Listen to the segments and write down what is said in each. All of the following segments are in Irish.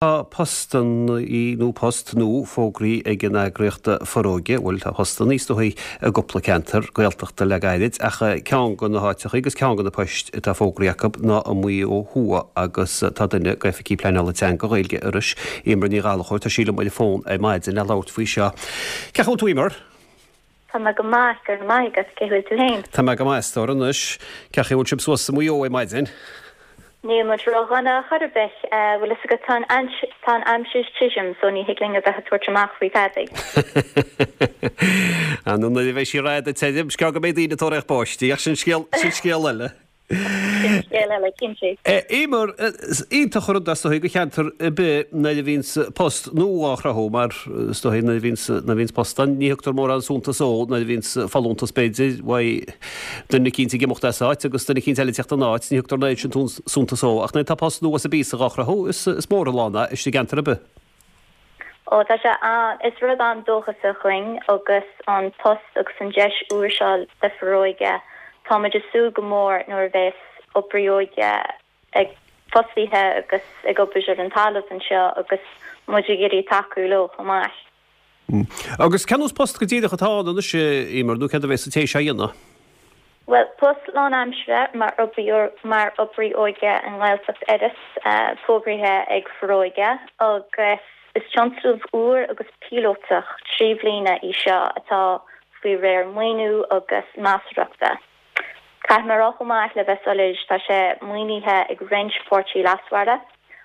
Tá postanna nó post nua fógraithe ag an eagraíocht Foróige, bhuel tá postanna is dóigh i gcúpla ceantar Gaeltachta le gairid ach ceann de na háiteachaí agus ceann de na poist atá fógraithe acu ná i Maigh Eo Thuaidh agus tá duine d'Oifigigh Pleanála Teanga Ghaeilge Iorrais, Eimear Ní Ghallchóir, tá sí liom ar an bhfón ar maidin le labhairt faoi seo. Cén chaoi a bhfuil tú Eimear? Tá mé go maith, go raibh maith agat, cén chaoi a bhfuil tú féin? Tá mé go maith a stór anois. Cén chaoi a bhfuil sibh suas i Maigh Eo ar maidin? Níl muid ró-dhona chor ar bith. Bhfuil fhios agat, tá an, tá an aimsir tirim so ní thig linn a bheith ag tabhairt amach faoi thadaí. Ah nó nuair a bheidh sí rada tirim, is gearr go mbeidh daoine ag tóraíocht báistí, ach sin scéal, sin scéal eile. Sin scéal eile, cinnte. Eimear, is iontach an rud é is dóigh do cheantar ar bith nuair a bhíonns post nua á chruthú mar is dóigh nuair a bhíonns, nuair a bhíonns post ann ní thugtar mórán suntas dó nuair a bhíonns folúntas b'fhéidir uaidh duine eicínt ag imeacht as áit agus duine eicínt eile ag teacht ina áit, ní thugtar an oiread sin suntas dó ach nuair atá post nua sa bpíosa dhá chruthú is is mór an lán é istigh i gceantar ar bith. Ó, tá sé an, is rud an-dóchasach dhúinn agus an post agus an deis úr seo le Foróige. Táimid ag súil go mór nuair a bheas oibrí óige ag fostaithe agus ag obair ar an talamh anseo agus muid ag iarraidh tacú leo chomh maith. Agus cén nós post go díreach atá ann anois, a Eimear, nó céard a bheas an té seo a dhéanamh? Bhuel, post lánaimseartha mar mar oibrí óige i nGaeltacht Iorrais fógraithe ag Foróige agus is tionscnamh úr agus píolótach 3 bhliana í seo atá faoi réir maoiniú agus meastóireachta. Caithfidh mé a rá chomh maith, le bheith soiléir, tá sé maoinithe ag roinnt páirtí leasmhara,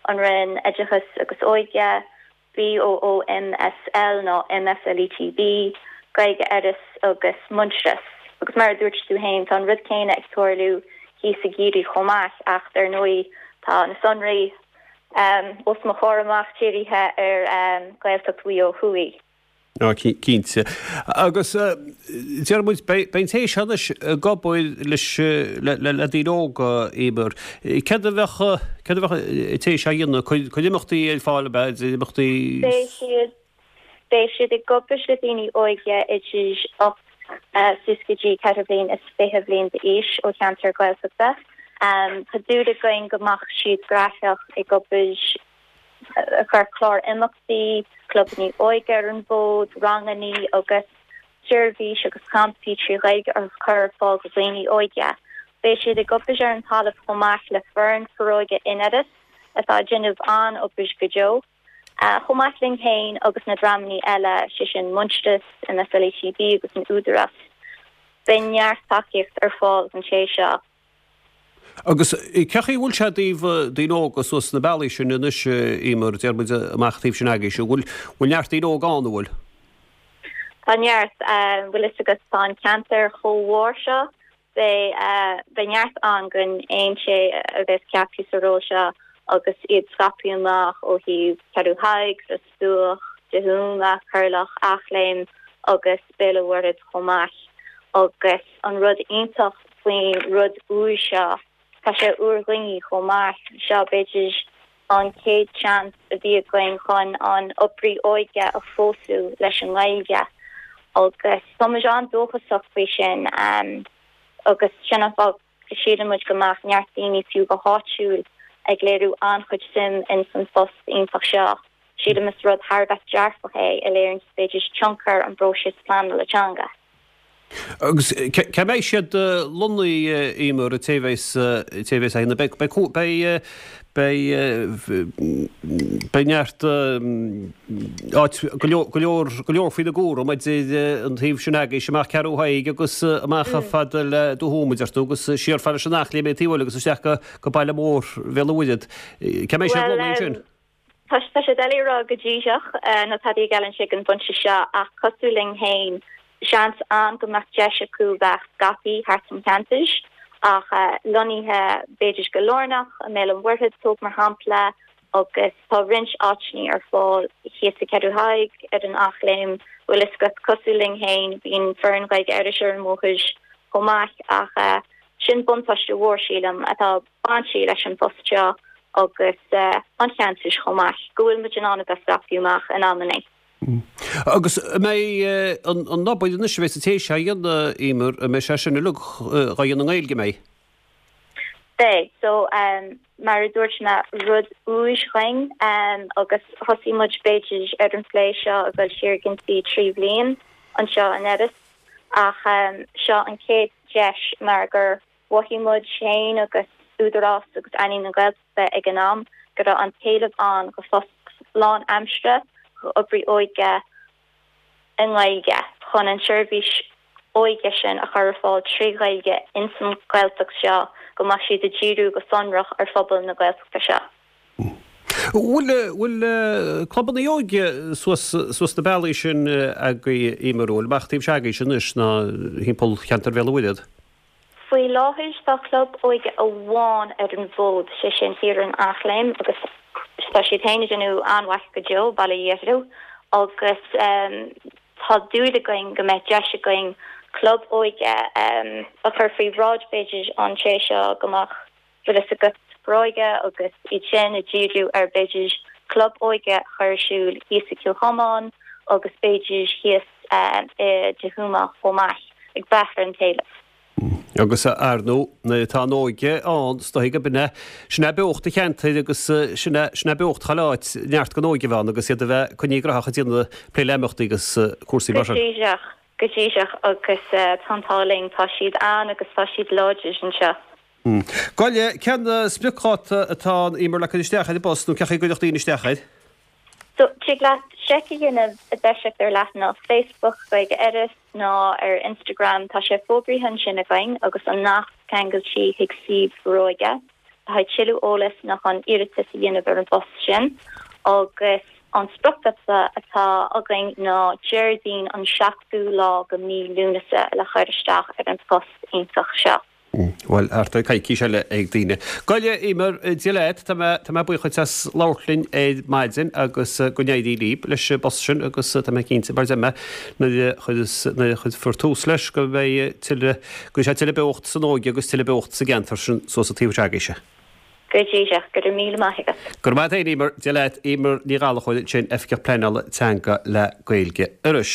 an Roinn Oideachais agus Óige, BOOMSL nó MSLETB, Gaeilge Iorrais agus Muintearas. Agus mar a dúirt tú féin, tá an rud céanna ag tarlú thíos i gCiarraí chomh maith ach dar ndóigh tá na sonraí os mo chomhair amach dírithe ar Ghaeltacht Mhaigh Eo Thuaidh. Á, cinnte. Agus deir muid, beidh an té seo anois ag obair leis, le daoine óga, Eimear. Céard a bheadh, céard a bheadh an té seo a dhéanamh? Cur imeachtaí ar fáil, ab ea, imeachtaí. Beidh siad, beidh siad ag obair le daoine óige idir 8 suas go dtí 24 bhliain bhliain d'aois ó cheantar Gaeltachta. Tá dúil againn go mbeadh siad graitheach ag obair ag cur clár imeachtaí, clubanna óige ar an bhfód, rangannaí agus seirbhís agus campaí 3 Ghaeilge a chur ar fáil do dhaoine óige. Beidh siad ag obair ar an talamh chomh maith le foireann Foróige in Iorras atá ag déanamh an-obair go deo, chomh maith linn féin agus na dreamannaí eile, sé sin Muintearas, MSLETB agus an Údarás. Beidh neart tacaíocht ar fáil don té seo. Agus cén chaoi a bhfuil sé i dtaobh daoine óga suas sna bealaí sin anois, Eimear, deir muid amach taobh sin agaibhse, an bhfuil, bhfuil neart daoine óga ann, an bhfuil? Tá neart, bhfuil fhios agat, tá an ceantar chomh mhór seo, beidh, beidh neart ann don aon té a bheas ceaptha sa ról seo agus iad scaipthe amach ó thaobh Ceathrú Thaidhg, Ros Dumhach, Dé hUama, Corrloch, Eachléim agus Béal an Mhuirthead chomh maith agus an rud iontach faoin rud úr seo. Tá sé úr dhúinne chomh maith. Seo, b'fhéidir, an chéad seans a bhí againn chun an oibrí óige a phósadh leis an nGaeilge agus tá muid an-dóchasach faoi sin agus sin an fáth go síleann muid go mbeadh neart daoine fiú go háitiúil ag léiriú an-chuid suim ins an phost iontach seo. Sílim is rud thar a bheith dearfach é a léiríonn b'fhéidir tionchar an bpróiseas pleanála teanga. Agus cá mbeidh siad lonnaithe, Eimear, an té a bheas, an té a bheas á dhéanamh? Beidh, beidh, beidh, beidh neart áit, go leor, go leor, go leor faoina gcúram idir an taobh sin agaibhse amach Ceathrú Thaidhg agus amach fada le Dún Thuama, deir tú, agus siar fada leis an Eachléim an taobh eile agus isteach go, go baile mór Bhéal an Mhuirthead. Cá mbeidh siad lonnaithe ansin? Tá sé doiligh a rá go díreach nó tada a gheallann sé ag an bpointe seo ach cosúil linn féin, seans ann go mbeadh deis acu bheith scaipthe thart an cheantar ach lonnaithe b'fhéidir go lárnach i mBéal an Mhuirthead, tóg mar shampla, agus tá roinnt áiteanna ar fáil thíos i Ceathrú Thaidhg, ar an Eachléim, bhfuil fhios agat, cosúil linn féin, bíonn foireann Ghaeilge Iorrais ar an mbóthar chomh maith ach sin buntáiste mhór, sílim, atá bainte leis an bpost seo agus an cheantair chomh maith, go bhfuil muid in ann a bheith scaipthe amach in amannaí. Agus an mbeidh an obair anois a bheas an té seo a dhéanamh, Eimear, an mbeidh sé sin uilig dhá dhéanamh i nGaeilge, an mbeidh? Beidh. So, mar a dúirt mé, rud úr dhuinn agus thosaigh muid b'fhéidir ar an phlé seo ag dul siar cionn 3 bhliain anseo in Iorras ach seo an chéad deis mar gur mhothaigh muid féin agus Údarás agus Ealaín na Gaeltachta ag an am go raibh an t-éileamh ann go phost lán-aimsire go oibrí óige i nGaeilge chun an tseirbhís óige sin a chur ar fáil 3 Ghaeilge ins an Ghaeltacht seo go mbeadh siad ag díriú go sonrach ar phobal na Gaeltachta seo. Bhfuil, bhfuil clubanna óige suas, suas na bealaí sin agaibh, Emer, bhfuil amach taobh se'agaibhse anois ná thimpeall cheantar Bhéal an Mhuirthead? Faoi láthair tá club óige amháin ar an bhfód, sé sin thiar in Eachléim agus tá siad féin ag déanamh an-mhaith go deo, bail ó Dhia orthu, agus tá dúil againn go mbeidh deis againn club óige a chur faoi bhráid b'fhéidir an té seo go mbeadh bhfuil fhios agat Foróige agus iad sin ag díriú ar b'fhéidir club óige a chur ar siúl thíos i Cill Chomáin agus b'fhéidir thíos i dTigh Thuama chomh maith, ag brath ar an t-éileamh. Agus ar ndóigh, nuair atá an óige ann, is dóigh gurb in é, sin é beocht an cheantair agus sin é, sin é beocht chuile áit, neart den óige a bheith ann agus iad a bheith coinnithe graitheach ag déanamh plé le imeachtaí agus cúrsaí mar sin. Go díreach, go díreach agus tá an t-ádh linn, tá siad ann agus tá siad láidir anseo. Gabh i leith, cén spriocdháta atá ann, Emer, le cur isteach ar an bpost nó cén chaoi a gcuirfeadh daoine isteach air? So, tig leat seic a dhéanamh i dtoiseacht ar leathanach Facebook Gaeilge Iorrais nó ar Instagram, tá sé fógraithe ansin againn agus an nasc ceangailte chuig suíomh Foróige le haghaidh tuilleadh eolais nó chun iarratas a dhéanamh ar an bpost sin agus an spriocdháta atá againn ná Déardaoin an 7ú lá go mí Lúnasa le chur isteach ar an phost iontach seo. Bhuel, thart ar coicís eile ag daoine. Gabh i leith, Emer, Dia leat, tá mé, tá mé buíoch dhuit as labhairt linn ar maidin agus go n-éirí libh leis an bpost sin agus tá mé cinnte, mar a deir mé, nuair a chuireas, nuair a chuirfear tús leis go mbeidh tuilleadh, go mbeidh sé tuilleadh beocht san óige agus tuilleadh beocht sa gceantar sin suas an taobh s'agaibhse. Go díreach, go raibh míle maith agat. Go raibh maith agat féin, Emer. Dia leat, Emer Ní Ghallchóir ansin, Oifigeach Pleanála Teanga le Gaeilge Iorrais.